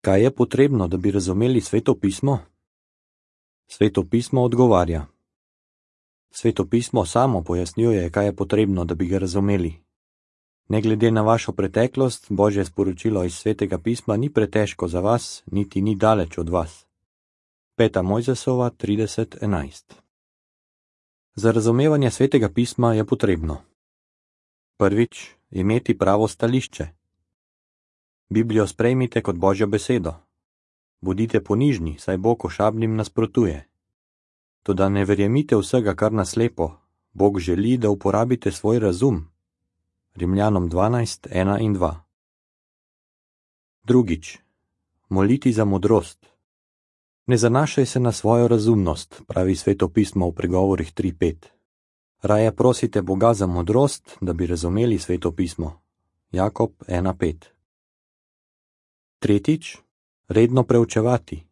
Kaj je potrebno, da bi razumeli Sveto pismo? Sveto pismo odgovarja. Sveto pismo samo pojasnjuje, kaj je potrebno, da bi ga razumeli. Ne glede na vašo preteklost, Božje sporočilo iz Svetega pisma ni pretežko za vas, niti ni daleč od vas. 5. Mojzesova 30:11. Za razumevanje Svetega pisma je potrebno: prvič, imeti pravo stališče. Biblijo sprejmite kot Božjo besedo. Bodite ponižni, saj Bog ošabnim nasprotuje. Toda ne verjemite vsega kar naslepo, Bog želi, da uporabite svoj razum. Rimljanom 12:1 in 2. Drugič, moliti za modrost. Ne zanašaj se na svojo razumnost, pravi Sveto pismo v Pregovorih 3:5. Raje prosite Boga za modrost, da bi razumeli Sveto pismo. Jakob 1:5. Tretjič, redno preučevati.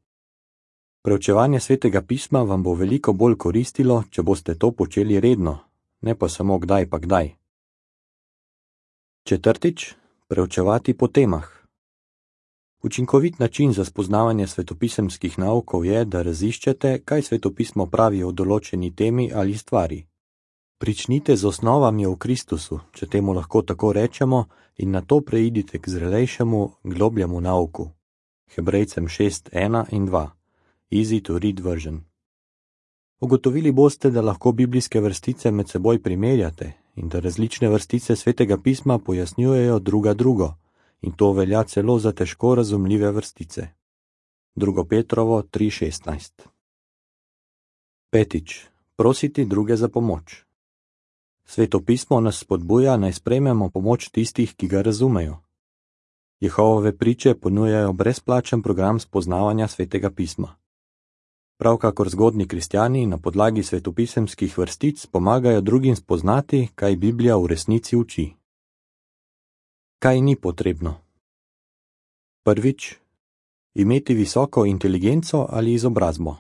Preučevanje Svetega pisma vam bo veliko bolj koristilo, če boste to počeli redno, ne pa samo kdaj pa kdaj. Četrtič, preučevati po temah. Učinkovit način za spoznavanje svetopisemskih naukov je, da raziščete, kaj Sveto pismo pravi o določeni temi ali stvari. Pričnite z osnovami o Kristusu, če temu lahko tako rečemo, in nato preidite k zrelejšemu, globljemu nauku. Hebrejcem 6:1 in 2. Easy to read version. Ugotovili boste, da lahko biblijske vrstice med seboj primerjate in da različne vrstice Svetega pisma pojasnjujejo druga drugo, in to velja celo za težko razumljive vrstice. 2. Petrovo 3:16. Petič, prositi druge za pomoč. Sveto pismo nas spodbuja, naj sprejmemo pomoč tistih, ki ga razumejo. Jehovove priče ponujajo brezplačen program spoznavanja Svetega pisma. Prav kakor zgodnji kristjani na podlagi svetopisemskih vrstic pomagajo drugim spoznati, kaj Biblija v resnici uči. Kaj ni potrebno? Prvič, imeti visoko inteligenco ali izobrazbo.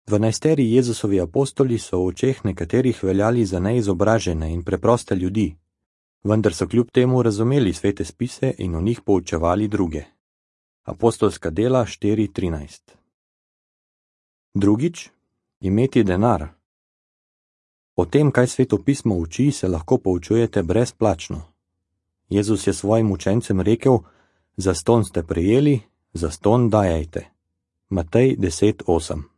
12 Jezusovi apostoli so v očeh nekaterih veljali za neizobražene in preproste ljudi, vendar so kljub temu razumeli svete spise in v njih poučevali druge. Apostolska dela 4:13. Drugič, imeti denar. O tem, kaj Sveto pismo uči, se lahko poučujete brezplačno. Jezus je svojim učencem rekel: zastonj ste prejeli, zastonj dajajte. Matej 10:8.